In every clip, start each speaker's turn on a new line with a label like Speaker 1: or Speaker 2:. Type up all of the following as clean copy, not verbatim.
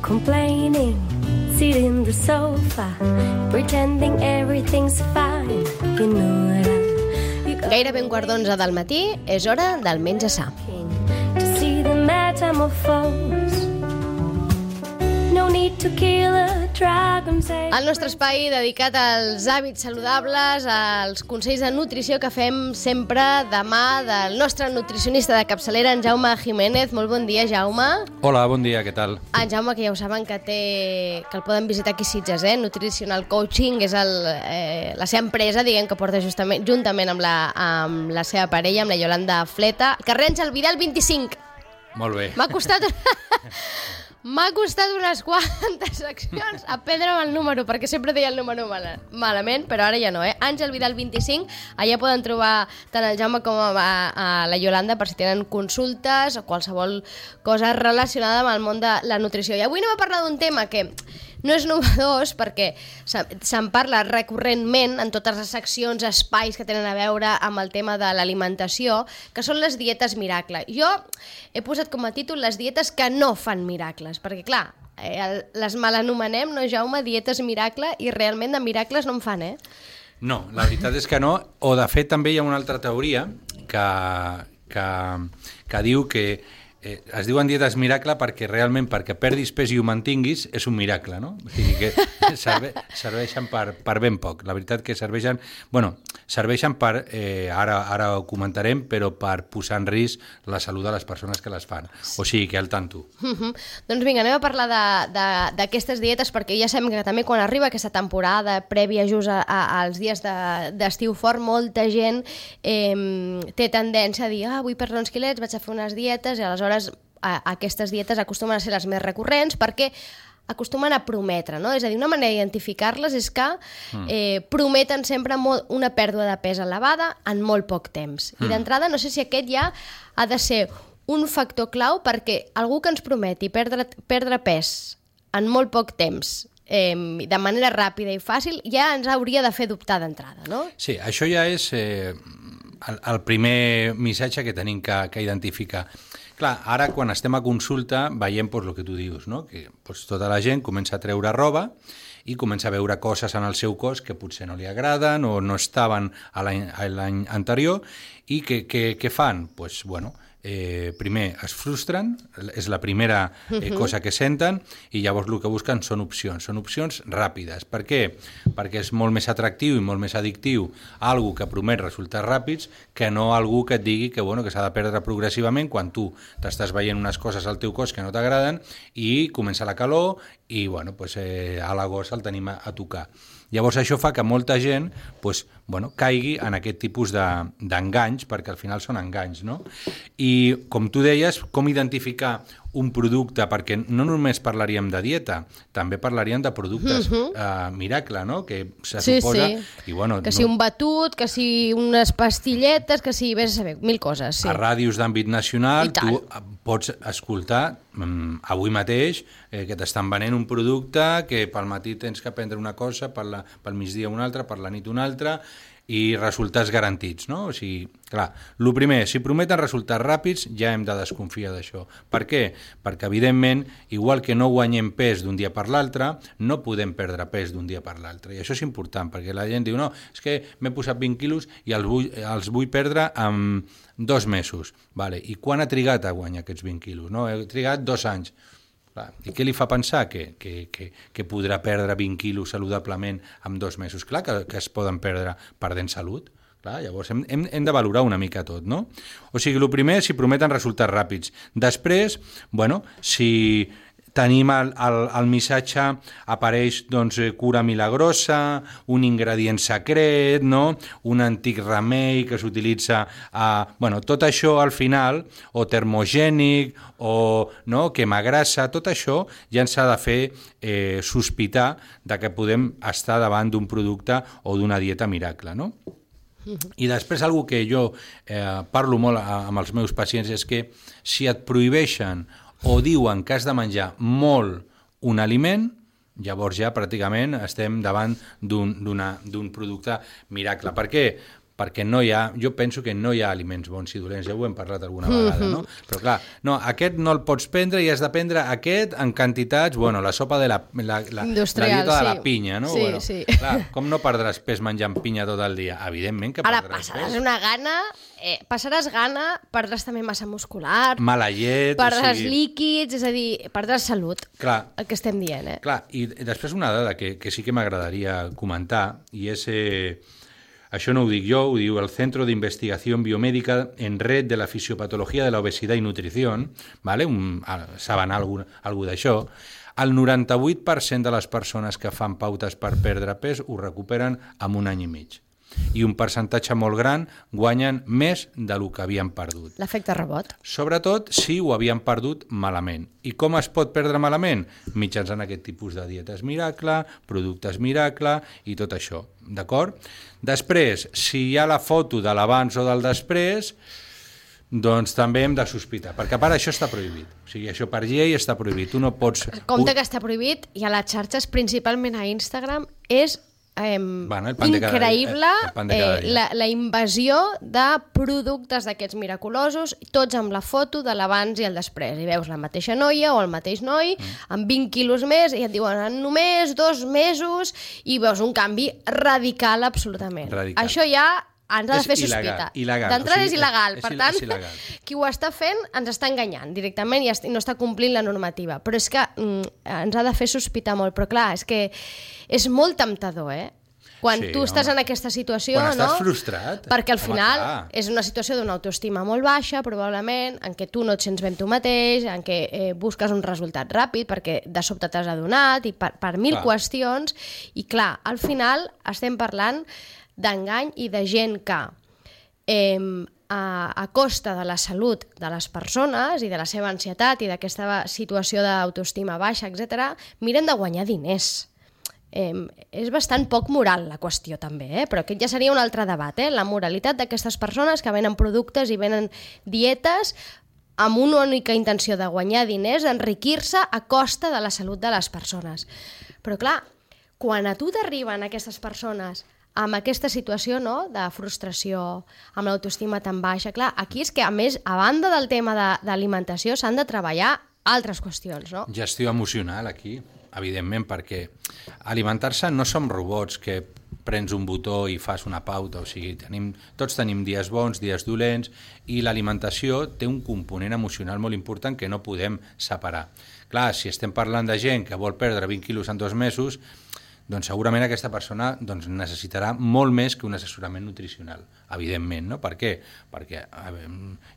Speaker 1: complaining, sitting in the sofa, pretending everything's fine. You know that
Speaker 2: Gairebé 11:15 del matí, és hora del menjar sa.
Speaker 1: to see the metamorphose. No need to kill a dragon.
Speaker 2: El nostre espai dedicat als hàbits saludables, als consells de nutrició que fem sempre de mà del nostre nutricionista de capçalera, en Jaume Jiménez. Molt bon dia, Jaume.
Speaker 3: Hola, bon dia, què tal?
Speaker 2: En Jaume, que ja ho saben, que el poden visitar aquí a Sitges, Nutritional Coaching, és la seva empresa, diguem, que porta juntament amb la seva parella, amb la Yolanda Fleta. Carrer Àngel Vidal 25.
Speaker 3: Molt bé.
Speaker 2: M'ha costat unes quantes accions aprendre'm el número, perquè sempre deia el número malament, però ara ja no, Àngel Vidal 25, allà poden trobar tant el Jaume com a la Yolanda per si tenen consultes o qualsevol cosa relacionada amb el món de la nutrició. I avui anem a parlar d'un tema que no és novedós, perquè se'n parla recurrentment en totes les seccions, espais que tenen a veure amb el tema de l'alimentació, que són les dietes miracle. Jo he posat com a títol les dietes que no fan miracles, perquè clar, les malanomenem, no, Jaume, dietes miracle, i realment de miracles no en fan,
Speaker 3: No, la veritat és que no, o de fet també hi ha una altra teoria que diu que es diuen dietes miracle perquè realment perquè perdis pes i ho mantinguis és un miracle, no? O sigui que serveixen per ben poc. La veritat que serveixen per, ara ho comentarem, però per posar en risc la salut de les persones que les fan. O sigui que al tanto.
Speaker 2: Doncs vinga, anem a parlar d'aquestes dietes, perquè ja sabem que també quan arriba aquesta temporada prèvia just als dies d'estiu fort, molta gent té tendència a dir vull perdre uns quilets, vaig a fer unes dietes, i aleshores aquestes dietes acostumen a ser les més recurrents perquè acostumen a prometre, no? És a dir, una manera d'identificar-les és que prometen sempre una pèrdua de pes elevada en molt poc temps. I d'entrada, no sé si aquest ja ha de ser un factor clau perquè algú que ens prometi perdre pes en molt poc temps de manera ràpida i fàcil ja ens hauria de fer dubtar d'entrada, no?
Speaker 3: Sí, això ja és el primer missatge que tenim que identificar. Clar, ara quan estem a consulta veiem el que tu dius, no? Que tota la gent comença a treure roba i comença a veure coses en el seu cos que potser no li agraden o no estaven l'any anterior i què fan? Doncs, primer es frustren, és la primera cosa que senten, i llavors el que busquen són opcions ràpides. Per què? Perquè és molt més atractiu i molt més addictiu algú que promet resultats ràpids que no algú que et digui que s'ha de perdre progressivament quan tu t'estàs veient unes coses al teu cos que no t'agraden i comença la calor i a l'agost el tenim a tocar. Llavors això fa que molta gent caigui en aquest tipus d'enganys, perquè al final són enganys, no? I com tu deies, com identificar un producte, perquè no només parlaríem de dieta, també parlaríem de productes miracle, no? Que se suposa...
Speaker 2: Sí. Que si un batut, que si unes pastilletes, que si vés a saber, mil coses. Sí.
Speaker 3: A ràdios d'àmbit nacional tu pots escoltar avui mateix que t'estan venent un producte que pel matí tens que prendre una cosa, pel migdia una altra, per la nit una altra, i resultats garantits, no? O sigui, clar, el primer, si prometen resultats ràpids, ja hem de desconfiar d'això. Per què? Perquè, evidentment, igual que no guanyem pes d'un dia per l'altre, no podem perdre pes d'un dia per l'altre. I això és important, perquè la gent diu, no, és que m'he posat 20 quilos i els vull perdre en 2 mesos. Vale. I quan ha trigat a guanyar aquests 20 quilos? No? He trigat 2 anys. I què li fa pensar que podrà perdre 20 quilos saludablement en 2 mesos? Clar que es poden perdre perdent salut. Clar, llavors hem de valorar una mica tot, no? O sigui, el primer, si prometen resultats ràpids. Després, si tenim el missatge, apareix cura milagrosa, un ingredient secret, no? Un antic remei que s'utilitza tot això al final, o termogènic, o quemagrassa, tot això ja ens ha de fer sospitar de que podem estar davant d'un producte o d'una dieta miracle, no? I després, una que jo parlo molt amb els meus pacients és que si et prohibeixen o diuen que has de menjar molt un aliment, llavors ja pràcticament estem davant d'un producte miracle. Per què? perquè jo penso que no hi ha aliments bons i dolents, ja ho hem parlat alguna vegada, no? Però clar, aquest no el pots prendre i has de prendre aquest en quantitats, la sopa de la dieta de la pinya, no?
Speaker 2: Sí.
Speaker 3: Clar, com no perdràs pes menjant pinya tot el dia? Evidentment que perdràs pes.
Speaker 2: Ara passaràs gana, perdràs també massa muscular,
Speaker 3: mala llet,
Speaker 2: perdràs líquids, és a dir, perdràs salut,
Speaker 3: clar,
Speaker 2: el que estem dient.
Speaker 3: Clar, i després una dada que sí que m'agradaria comentar, i és, això no ho dic jo, ho diu el Centro de Investigación Biomédica en Red de la Fisiopatología de la Obesidad y Nutrición, ¿vale? Saben alguna d'això. El 98% de les persones que fan pautes per perdre pes ho recuperen en un any i mig. I un percentatge molt gran guanyen més del que havien perdut.
Speaker 2: L'efecte rebot.
Speaker 3: Sobretot si ho havien perdut malament. I com es pot perdre malament? Mitjançant aquest tipus de dietes miracle, productes miracle i tot això, d'acord? Després, si hi ha la foto de l'abans o del després, doncs també hem de sospitar, perquè a part això està prohibit. O sigui, això per llei està prohibit. Tu no pots...
Speaker 2: Compte que està prohibit i a les xarxes, principalment a Instagram, és increïble la invasió de productes d'aquests miraculosos, tots amb la foto de l'abans i el després. I veus la mateixa noia o el mateix noi amb 20 quilos més i et diuen en només 2 mesos i veus un canvi radical absolutament. Això ja ens ha de fer sospita. D'entrada és il·legal. Per tant, qui ho està fent ens està enganyant directament i no està complint la normativa. Però és que ens ha de fer sospitar molt. Però clar, és que és molt temptador, Quan tu estàs en aquesta situació,
Speaker 3: quan estàs frustrat.
Speaker 2: Perquè al final és una situació d'una autoestima molt baixa, probablement, en què tu no et sents ben tu mateix, en què busques un resultat ràpid, perquè de sobte t'has adonat, i per mil qüestions. I clar, al final estem parlant d'engany i de gent que a costa de la salut de les persones i de la seva ansietat i d'aquesta situació d'autoestima baixa, etc., miren de guanyar diners. És bastant poc moral la qüestió també, però aquest ja seria un altre debat, la moralitat d'aquestes persones que venen productes i venen dietes amb una única intenció de guanyar diners, d'enriquir-se a costa de la salut de les persones. Però clar, quan a tu t'arriben aquestes persones amb aquesta situació de frustració, amb l'autoestima tan baixa, clar, aquí és que a més, a banda del tema d'alimentació, s'han de treballar altres qüestions, no?
Speaker 3: Gestió emocional aquí, evidentment, perquè alimentar-se no som robots que prens un botó i fas una pauta, o sigui, tots tenim dies bons, dies dolents, i l'alimentació té un component emocional molt important que no podem separar. Clar, si estem parlant de gent que vol perdre 20 quilos en 2 mesos, doncs segurament aquesta persona necessitarà molt més que un assessorament nutricional, evidentment, no? Per què? Perquè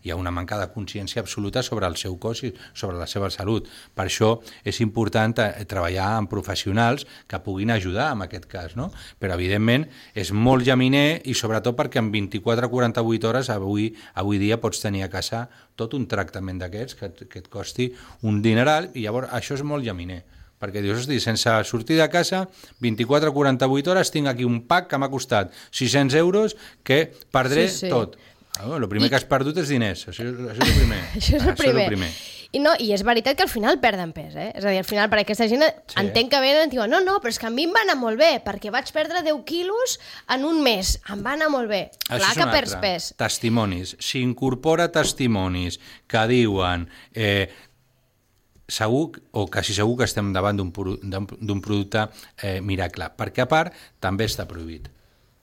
Speaker 3: hi ha una manca de consciència absoluta sobre el seu cos i sobre la seva salut. Per això és important treballar amb professionals que puguin ajudar en aquest cas, no? Però evidentment és molt llaminer i sobretot perquè en 24-48 hores avui dia pots tenir a casa tot un tractament d'aquests que et costi un dineral i llavors això és molt llaminer. Perquè dius, hosti, sense sortir de casa, 24-48 hores tinc aquí un pack que m'ha costat 600 euros que perdré tot. El primer que has perdut és diners, això és el primer.
Speaker 2: Això és el primer. I és veritat que al final perden pes, És a dir, al final per aquesta gent entenc que venen i diuen no, però és que a mi em va anar molt bé, perquè vaig perdre 10 quilos en un mes, em va anar molt bé. Clar que perds pes.
Speaker 3: Testimonis. S'incorpora testimonis que diuen... segur, o quasi segur que estem davant d'un producte miracle, perquè a part també està prohibit.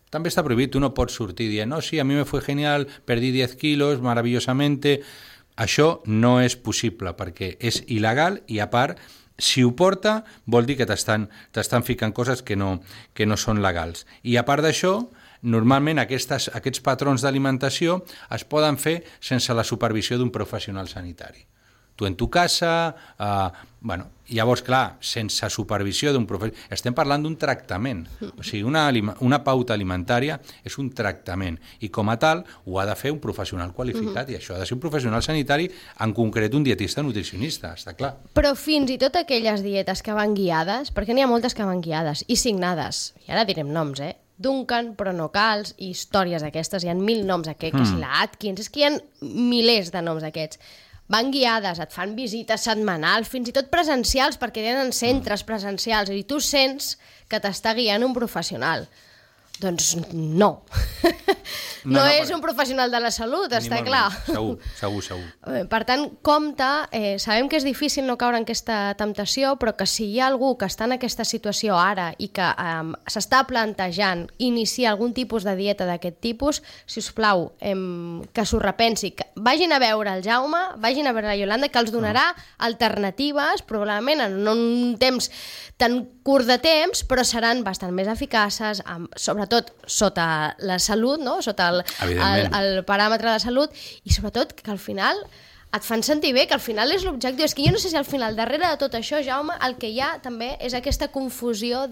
Speaker 3: També està prohibit, tu no pots sortir dient, no, sí, a mi me fue genial, perdí 10 kilos maravillosamente. Això no és possible, perquè és il·legal i a part, si ho porta, vol dir que t'estan ficant coses que no són legals. I a part d'això, normalment aquests patrons d'alimentació es poden fer sense la supervisió d'un professional sanitari. Tu en tu casa, llavors, clar, sense supervisió d'un professional... Estem parlant d'un tractament. O sigui, una pauta alimentària és un tractament i com a tal ho ha de fer un professional qualificat i això ha de ser un professional sanitari, en concret un dietista nutricionista, està clar.
Speaker 2: Però fins i tot aquelles dietes que van guiades, perquè n'hi ha moltes que van guiades i signades, i ara direm noms, Duncan, Pronocals i històries d'aquestes, hi ha 1000 noms que si la Atkins, és que hi ha milers de noms d'aquests. Van guiades, et fan visites setmanals, fins i tot presencials, perquè tenen centres presencials, i tu sents que t'està guiant un professional. Doncs no. No és un professional de la salut, està clar.
Speaker 3: Segur.
Speaker 2: Per tant, compte, sabem que és difícil no caure en aquesta temptació, però que si hi ha algú que està en aquesta situació ara i que s'està plantejant iniciar algun tipus de dieta d'aquest tipus, si us plau, que s'ho repensi, que vagin a veure el Jaume, vagin a veure la Iolanda, que els donarà alternatives, probablement en un temps tan curt de temps, però seran bastant més eficaces, sobretot sota la salut, no? Sota el paràmetre de salut, i sobretot que al final et fan sentir bé, que al final és l'objectiu. És que jo no sé si al final, darrere de tot això, Jaume, el que hi ha també és aquesta confusió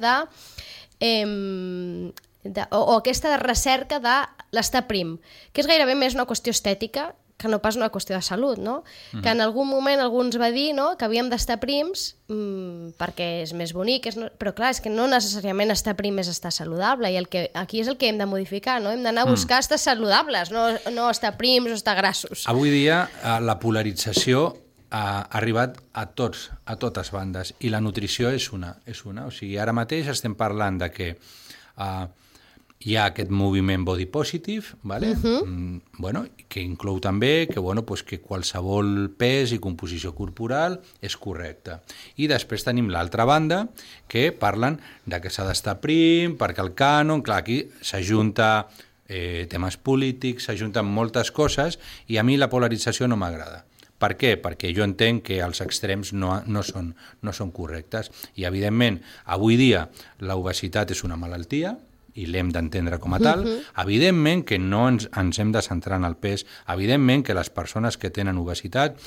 Speaker 2: o aquesta recerca de l'estar prim, que és gairebé més una qüestió estètica que no pas una qüestió de salut, no? Que en algun moment algú ens va dir, no?, que havíem d'estar prims perquè és més bonic, però clar, és que no necessàriament estar prim és estar saludable, i aquí és el que hem de modificar, no? Hem d'anar a buscar estar saludables, no estar prims o estar grassos.
Speaker 3: Avui dia la polarització ha arribat a totes bandes, i la nutrició és una. O sigui, ara mateix estem parlant de que hi ha aquest moviment body positive, ¿vale? Que inclou també que qualsevol pes i composició corporal és correcta. I després tenim l'altra banda, que parlen de que s'ha d'estar prim, perquè el cànon, clar, aquí s'ajunta temes polítics, s'ajunten moltes coses, i a mi la polarització no m'agrada. Per què? Perquè jo entenc que els extrems no són correctes. I, evidentment, avui dia l'obesitat és una malaltia, i l'hem d'entendre com a tal. Evidentment que no ens hem de centrar en el pes, evidentment que les persones que tenen obesitat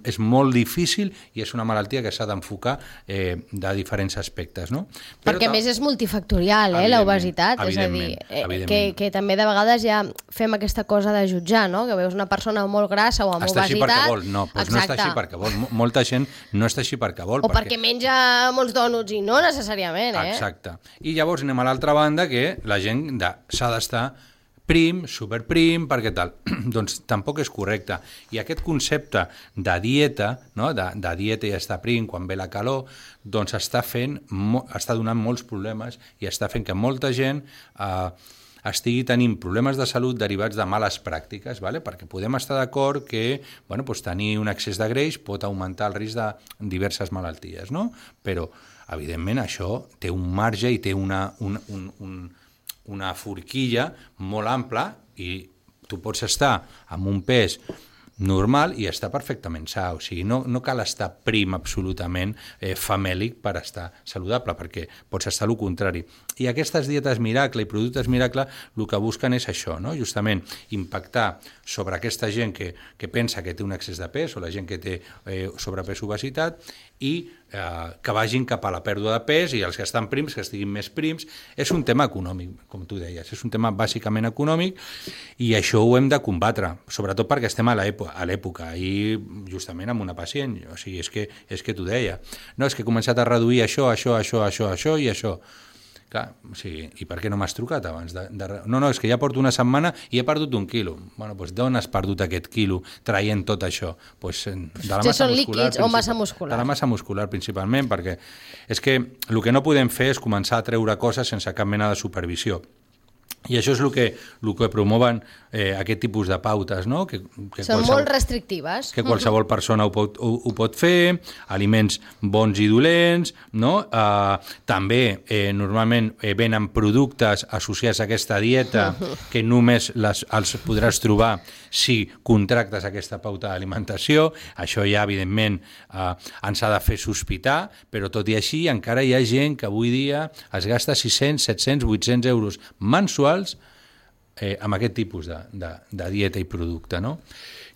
Speaker 3: és molt difícil i és una malaltia que s'ha d'enfocar de diferents aspectes, no?
Speaker 2: Perquè a més és multifactorial, l'obesitat, és a dir, que també de vegades ja fem aquesta cosa de jutjar, no? Que veus una persona molt grassa o amb obesitat...
Speaker 3: Està així perquè vol, no està així perquè vol. Molta gent no està així perquè vol.
Speaker 2: O perquè menja molts dònuts i no necessàriament,
Speaker 3: Exacte. I llavors anem a l'altra banda, que la gent s'ha d'estar prim, superprim, perquè tal. Doncs tampoc és correcte. I aquest concepte de dieta, no? de dieta i estar prim quan ve la calor, doncs està donant molts problemes i està fent que molta gent estigui tenint problemes de salut derivats de males pràctiques, ¿vale? Perquè podem estar d'acord que tenir un excés de greix pot augmentar el risc de diverses malalties, no? Però evidentment això té un marge i té una forquilla molt ampla, i tu pots estar amb un pes normal i estar perfectament sa, o sigui, no cal estar prim absolutament famèlic per estar saludable, perquè pots estar el contrari. I aquestes dietes miracle i productes miracle el que busquen és això, no? Justament impactar sobre aquesta gent que pensa que té un excés de pes, o la gent que té sobrepès o obesitat, i que vagin cap a la pèrdua de pes, i els que estan prims, que estiguin més prims. És un tema econòmic, com tu deies, és un tema bàsicament econòmic, i això ho hem de combatre, sobretot perquè estem a l'època, i justament amb una pacient, o sigui, és que t'ho deia, no, és que he començat a reduir això i això. Clar, o sigui, i per què no m'has trucat abans? No, és que ja porto una setmana i he perdut 1 quilo. Bueno, doncs d'on has perdut aquest quilo traient tot això? Doncs de la massa
Speaker 2: són
Speaker 3: muscular.
Speaker 2: Líquids o massa muscular?
Speaker 3: De la massa muscular, principalment, perquè és que el que no podem fer és començar a treure coses sense cap mena de supervisió. I això és el que promoven aquest tipus de pautes, no?
Speaker 2: Són molt restrictives.
Speaker 3: Que qualsevol persona ho pot fer, aliments bons i dolents, no? També normalment venen productes associats a aquesta dieta que només els podràs trobar si contractes aquesta pauta d'alimentació. Això ja, evidentment, ens ha de fer sospitar, però tot i així encara hi ha gent que avui dia es gasta 600, 700, 800 euros mensuals amb aquest tipus de dieta i producte, no?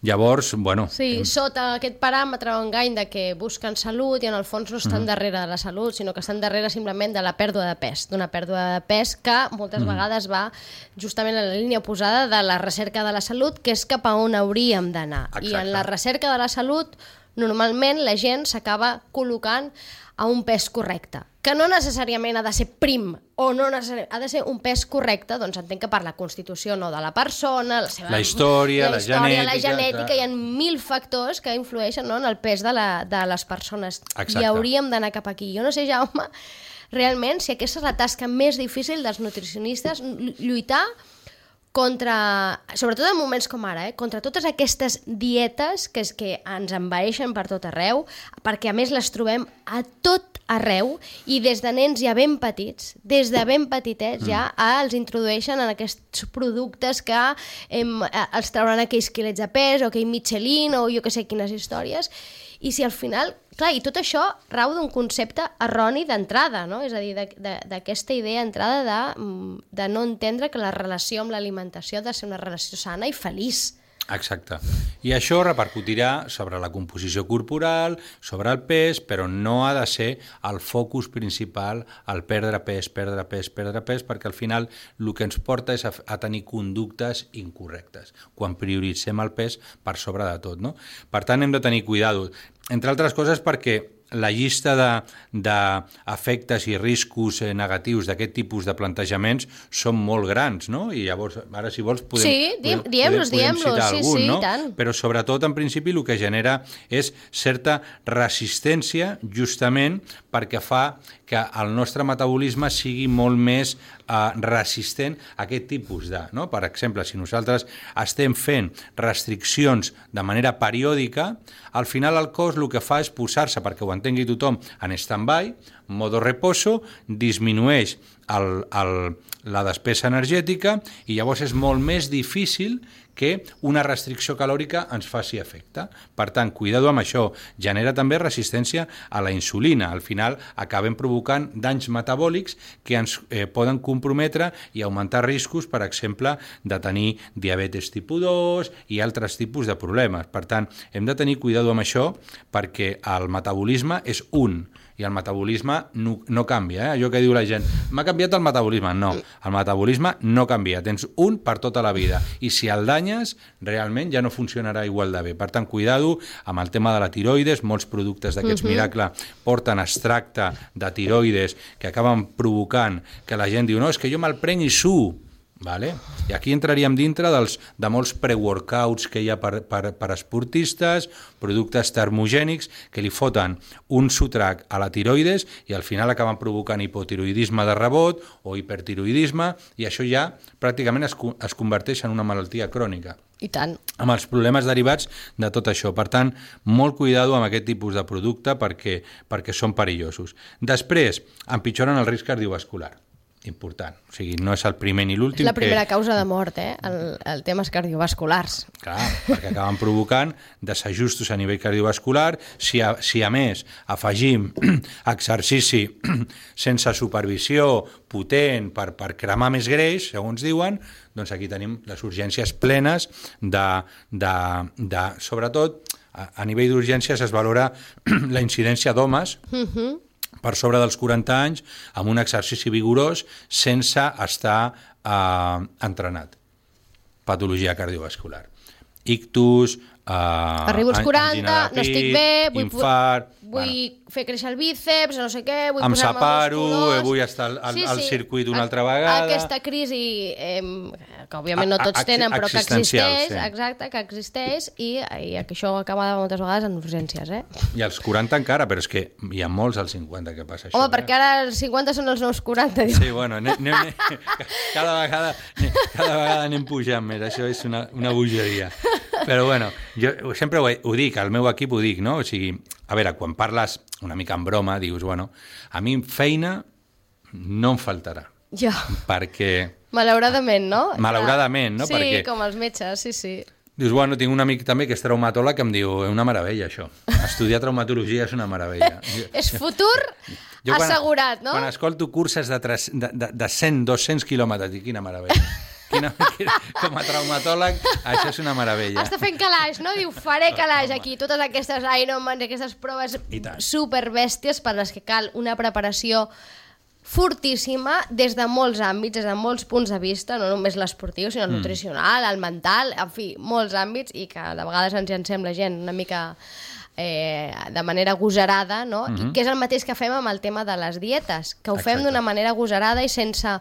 Speaker 3: Llavors,
Speaker 2: Sí, sota aquest paràmetre o engany de que busquen salut i en el fons no estan darrere de la salut, sinó que estan darrere simplement de la pèrdua de pes, d'una pèrdua de pes que moltes vegades va justament en la línia oposada de la recerca de la salut, que és cap a on hauríem d'anar. I en la recerca de la salut normalment la gent s'acaba col·locant a un pes correcte, que no necessàriament ha de ser prim, o no necessàriament, ha de ser un pes correcte, doncs entenc que per la constitució no de la persona, la
Speaker 3: història, la
Speaker 2: genètica, hi ha 1000 factors que influeixen, no, en el pes de les persones.
Speaker 3: Exacte.
Speaker 2: I hauríem d'anar cap aquí. Jo no sé, Jaume, realment, si aquesta és la tasca més difícil dels nutricionistes, lluitar contra, sobretot en moments com ara, contra totes aquestes dietes que ens envaeixen per tot arreu, perquè a més les trobem a tot arreu i des de nens ja ben petits, des de ben petitets ja els introdueixen en aquests productes que els trauran aquells quilets de pes o aquell Michelin o jo que sé quines històries. I si al final, clar, i tot això rau d'un concepte erroni d'entrada, no? És a dir, d'aquesta idea d'entrada de no entendre que la relació amb l'alimentació ha de ser una relació sana i feliç.
Speaker 3: Exacte. I això repercutirà sobre la composició corporal, sobre el pes, però no ha de ser el focus principal el perdre pes, perquè al final el que ens porta és a tenir conductes incorrectes, quan prioritzem el pes per sobre de tot, no? Per tant, hem de tenir cuidado, entre altres coses perquè la llista d'efectes i riscos negatius d'aquest tipus de plantejaments són molt grans, no? I llavors, ara si vols podem citar algun, no? Però sobretot, en principi, el que genera és certa resistència justament perquè fa que el nostre metabolisme sigui molt més resistent a aquest tipus de... No? Per exemple, si nosaltres estem fent restriccions de manera periòdica, al final el cos el que fa és posar-se, perquè ho entengui tothom, en stand-by, modo reposo, disminueix la despesa energètica i llavors és molt més difícil que una restricció calòrica ens faci efecte. Per tant, cuidado amb això. Genera també resistència a la insulina. Al final acabem provocant danys metabòlics que ens poden comprometre i augmentar riscos, per exemple, de tenir diabetes tipus 2 i altres tipus de problemes. Per tant, hem de tenir cuidado amb això perquè el metabolisme és un i el metabolisme no canvia. Allò que diu la gent, m'ha canviat el metabolisme. No, el metabolisme no canvia. Tens un per tota la vida. I si el danyes, realment ja no funcionarà igual de bé. Per tant, cuidado amb el tema de la tiroides. Molts productes d'aquests Miracle porten extracte de tiroides que acaben provocant que la gent diu, no, és que jo me'l prenc i suo. Vale? I aquí entraríem dintre de molts pre-workouts que hi ha per esportistes, productes termogènics que li foten un sotrac a la tiroides i al final acaben provocant hipotiroidisme de rebot o hipertiroidisme i això ja pràcticament es converteix en una malaltia crònica.
Speaker 2: I tant.
Speaker 3: Amb els problemes derivats de tot això. Per tant, molt cuidado amb aquest tipus de producte perquè són perillosos. Després, empitjoren el risc cardiovascular. Important. O sigui, no és el primer ni l'últim.
Speaker 2: És la primera causa de mort, el temes cardiovasculars.
Speaker 3: Clar, perquè acaben provocant desajustos a nivell cardiovascular. Si a més afegim exercici sense supervisió potent per cremar més greix, segons diuen, doncs aquí tenim les urgències plenes sobretot, a nivell d'urgències es valora la incidència d'homes per sobre dels 40 anys amb un exercici vigorós sense estar entrenat. Patologia cardiovascular. Ictus,
Speaker 2: arribo als 40, no estic bé,
Speaker 3: infart...
Speaker 2: Vull fer créixer el bíceps, no sé què, vull
Speaker 3: em
Speaker 2: posar-me
Speaker 3: separo,
Speaker 2: musculós...
Speaker 3: vull estar al circuit una altra vegada...
Speaker 2: Aquesta crisi, que òbviament no tots tenen, però que existeix, exacte, que existeix, i que això acaba moltes vegades en urgències,
Speaker 3: I als 40 encara, però és que hi ha molts als 50 que passa això.
Speaker 2: Home, perquè ara els 50 són els nous 40, diu.
Speaker 3: Sí, bueno, cada vegada anem pujant més, això és una bogeria. Però bueno, jo sempre ho dic, al meu equip ho dic, no? O sigui, a veure, quan parles una mica en broma, dius, bueno, a mi feina no em faltarà.
Speaker 2: Ja.
Speaker 3: Perquè...
Speaker 2: Malauradament, no?
Speaker 3: Malauradament, no?
Speaker 2: Sí,
Speaker 3: perquè...
Speaker 2: com els metges, sí.
Speaker 3: Dius, bueno, tinc un amic també que és traumatòleg que em diu, és una meravella això, estudiar traumatologia és una meravella.
Speaker 2: És futur assegurat, no?
Speaker 3: Quan escolto curses de 100, 200 quilòmetres, dic, quina meravella. Com a traumatòleg, això és una meravella.
Speaker 2: Està fent calaix, no? Diu, faré calaix aquí, totes aquestes Ironmans, aquestes proves superbèsties per les que cal una preparació fortíssima des de molts àmbits, des de molts punts de vista, no només l'esportiu, sinó el nutricional, el mental, en fi, molts àmbits, i que de vegades ens llancem la gent una mica de manera agosarada, no? I que és el mateix que fem amb el tema de les dietes, que ho fem d'una manera agosarada i sense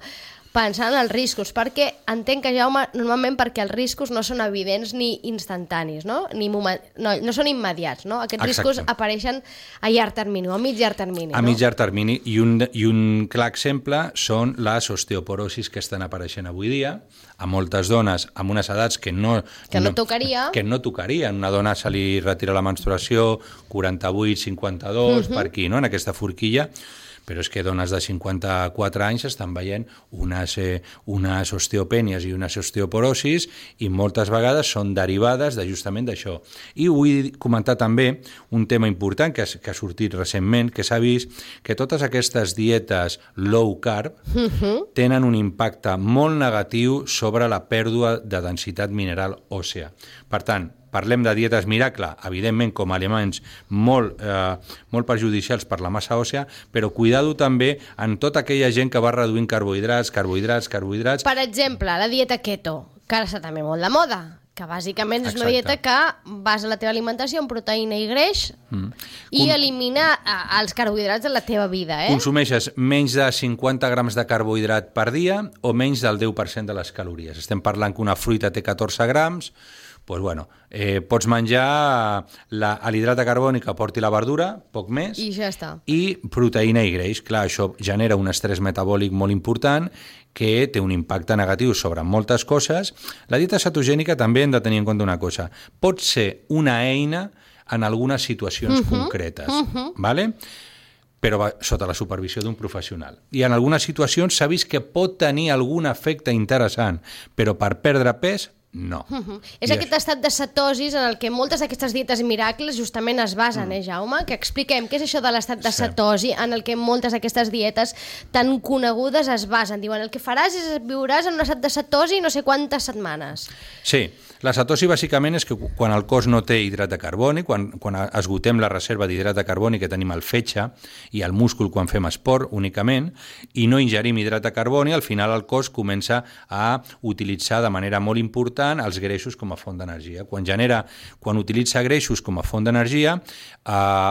Speaker 2: pensar en els riscos, perquè entenc que, Jaume, normalment perquè els riscos no són evidents ni instantanis, no? No són immediats, no? Aquests riscos apareixen a llarg termini, o a mig llarg termini.
Speaker 3: A mig llarg termini, i un clar exemple són les osteoporosis que estan apareixent avui dia, a moltes dones amb unes edats que no tocarien. Una dona se li retira la menstruació 48, 52, per aquí, no? En aquesta forquilla, però és que dones de 54 anys estan veient unes osteopènies i unes osteoporosis i moltes vegades són derivades justament d'això. I vull comentar també un tema important que ha sortit recentment, que s'ha vist que totes aquestes dietes low carb tenen un impacte molt negatiu sobre la pèrdua de densitat mineral òssea. Per tant, parlem de dietes miracle, evidentment com a aliments molt perjudicials per la massa òssea, però cuidado també en tota aquella gent que va reduint carbohidrats.
Speaker 2: Per exemple, la dieta keto, que ara està també molt de moda, que bàsicament és una dieta que basa la teva alimentació en proteïna i greix i elimina els carbohidrats de la teva vida.
Speaker 3: Consumeixes menys de 50 grams de carbohidrat per dia o menys del 10% de les calories. Estem parlant que una fruita té 14 grams, doncs pots menjar l'hidrat de carboni que porti la verdura, poc més,
Speaker 2: i ja està.
Speaker 3: I proteïna i greix. Clar, això genera un estrès metabòlic molt important que té un impacte negatiu sobre moltes coses. La dieta cetogènica també hem de tenir en compte una cosa. Pot ser una eina en algunes situacions concretes, ¿vale? Però sota la supervisió d'un professional. I en algunes situacions s'ha vist que pot tenir algun efecte interessant, però per perdre pes, no.
Speaker 2: És aquest estat de cetosis en el que moltes d'aquestes dietes miracles justament es basen, Jaume? Que expliquem què és això de l'estat de cetosi en el que moltes d'aquestes dietes tan conegudes es basen. Diuen, el que faràs és viuràs en un estat de cetosi no sé quantes setmanes.
Speaker 3: Sí, la cetosi bàsicament és que quan el cos no té hidrat de carboni, quan esgotem la reserva d'hidrat de carboni que tenim al fetge i al múscul quan fem esport únicament, i no ingerim hidrat de carboni, al final el cos comença a utilitzar de manera molt important els greixos com a font d'energia. Quan utilitza greixos com a font d'energia,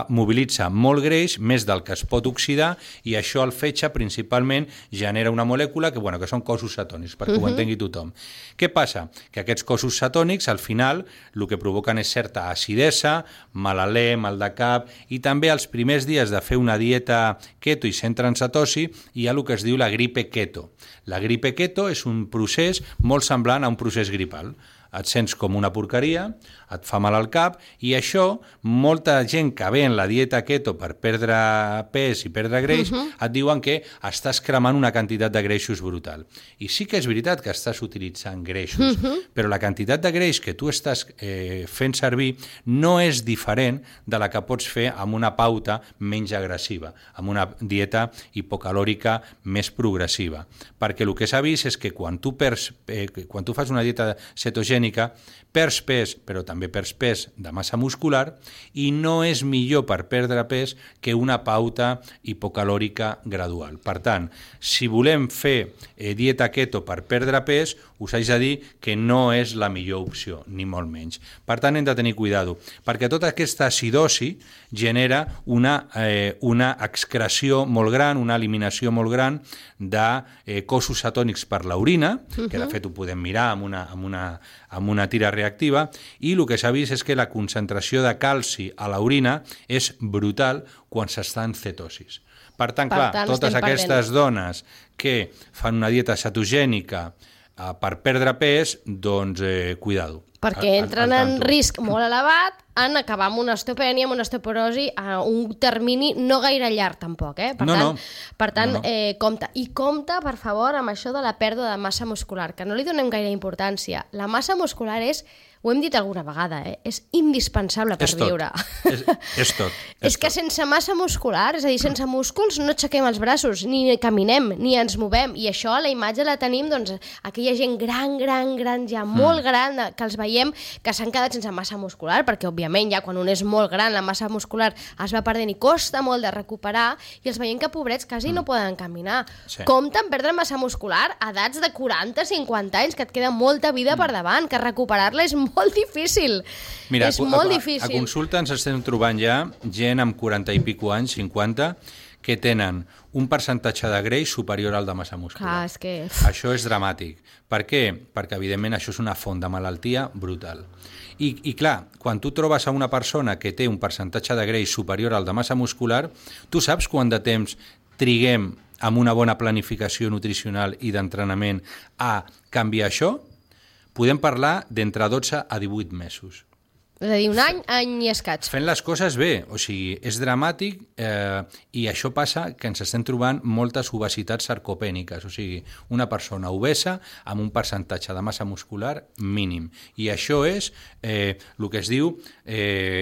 Speaker 3: mobilitza molt greix, més del que es pot oxidar, i això al fetge principalment genera una molècula que són cossos cetònics, perquè ho entengui tothom. Què passa? Que aquests cossos cetònics al final el que provoquen és certa acidesa, mal alè, mal de cap, i també els primers dies de fer una dieta keto i centra en cetosi hi ha el que es diu la gripe keto. La gripe keto és un procés molt semblant a un procés gripal. Et sents com una porqueria, et fa mal al cap, i això, molta gent que ve en la dieta keto per perdre pes i perdre greix, et diuen que estàs cremant una quantitat de greixos brutal. I sí que és veritat que estàs utilitzant greixos, però la quantitat de greix que tu estàs fent servir no és diferent de la que pots fer amb una pauta menys agressiva, amb una dieta hipocalòrica més progressiva. Perquè el que s'ha vist és que quan tu fas una dieta cetogènica, perds pes, però també perds pes de massa muscular, i no és millor per perdre pes que una pauta hipocalòrica gradual. Per tant, si volem fer dieta keto per perdre pes, us haig de dir que no és la millor opció, ni molt menys. Per tant, hem de tenir cuidado, perquè tota aquesta acidosi genera una excreció molt gran, una eliminació molt gran de cossos cetònics per l'orina, que de fet ho podem mirar amb una tira reactiva, i el que s'ha vist és que la concentració de calci a l'orina és brutal quan s'està en cetosis. Per tant, totes aquestes dones que fan una dieta cetogènica per perdre pes, doncs cuidado.
Speaker 2: Perquè entren en risc molt elevat en acabar amb una osteopènia, amb una osteoporosi a un termini no gaire llarg tampoc, Per tant, compte. I compte, per favor, amb això de la pèrdua de massa muscular, que no li donem gaire importància. La massa muscular ho hem dit alguna vegada, és indispensable per viure.
Speaker 3: És tot.
Speaker 2: És que sense massa muscular, és a dir, sense músculs no aixequem els braços, ni caminem, ni ens movem, i això la imatge la tenim, doncs, aquella gent gran, ja molt gran, que els veiem veiem que s'han quedat sense massa muscular, perquè òbviament ja quan un és molt gran la massa muscular es va perdent i costa molt de recuperar, i els veiem que pobrets quasi no poden caminar. Compte amb perdre massa muscular a edats de 40-50 anys, que et queda molta vida per davant, que recuperar-la és molt difícil.
Speaker 3: Mira,
Speaker 2: és molt difícil.
Speaker 3: A consulta ens estem trobant ja gent amb 40 i pico anys, 50, que tenen un percentatge de greix superior al de massa muscular.
Speaker 2: Clar, és que...
Speaker 3: Això és dramàtic. Per què? Perquè, evidentment, això és una font de malaltia brutal. I clar, quan tu trobes a una persona que té un percentatge de greix superior al de massa muscular, tu saps quant de temps triguem amb una bona planificació nutricional i d'entrenament a canviar això? Podem parlar d'entre 12 a 18 mesos.
Speaker 2: És a dir, un any i escaig.
Speaker 3: Fent les coses bé, o sigui, és dramàtic i això passa que ens estem trobant moltes obesitats sarcopèniques, o sigui, una persona obesa amb un percentatge de massa muscular mínim. I això és el que es diu,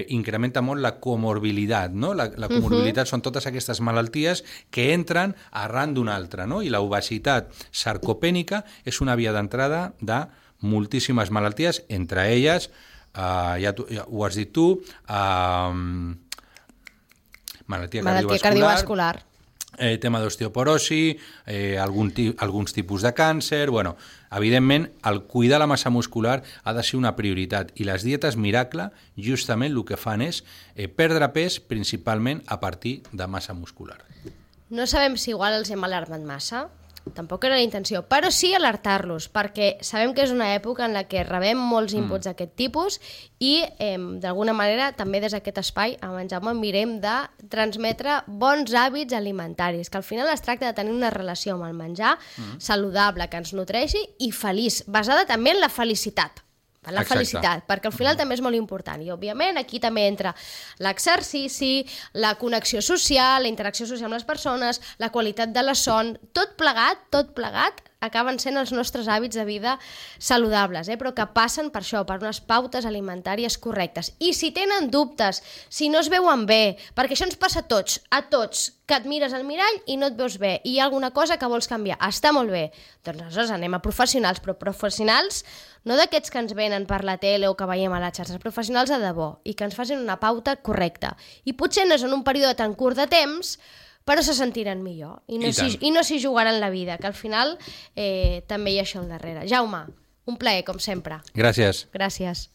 Speaker 3: incrementa molt la comorbilitat, no? La comorbilitat són totes aquestes malalties que entren arran d'una altra, no? I la obesitat sarcopènica és una via d'entrada de moltíssimes malalties, entre elles ja ho has dit tu, malaltia cardiovascular, tema d'osteoporosi, alguns tipus de càncer. Bueno, evidentment, el cuidar la massa muscular ha de ser una prioritat i les dietes miracle justament el que fan és perdre pes principalment a partir de massa muscular.
Speaker 2: No sabem si igual els hem alarmat massa, tampoc era la intenció, però sí alertar-los, perquè sabem que és una època en la que rebem molts inputs d'aquest tipus i d'alguna manera també des d'aquest espai amb en Jaume mirem de transmetre bons hàbits alimentaris, que al final es tracta de tenir una relació amb el menjar saludable, que ens nutreixi i feliç, basada també en la felicitat. La felicitat, perquè al final també és molt important i òbviament aquí també entra l'exercici, la connexió social, la interacció social amb les persones, la qualitat de la son, tot plegat acaben sent els nostres hàbits de vida saludables, però que passen per això, per unes pautes alimentàries correctes. I si tenen dubtes, si no es veuen bé, perquè això ens passa a tots, que et mires al mirall i no et veus bé, i hi ha alguna cosa que vols canviar, està molt bé, doncs aleshores anem a professionals, però professionals no d'aquests que ens venen per la tele o que veiem a les xarxes, professionals de debò, i que ens facin una pauta correcta. I potser no és en un període tan curt de temps, però se sentiran millor i no s'hi jugaran la vida, que al final també hi ha això al darrere. Jaume, un plaer, com sempre.
Speaker 3: Gràcies.
Speaker 2: Gràcies.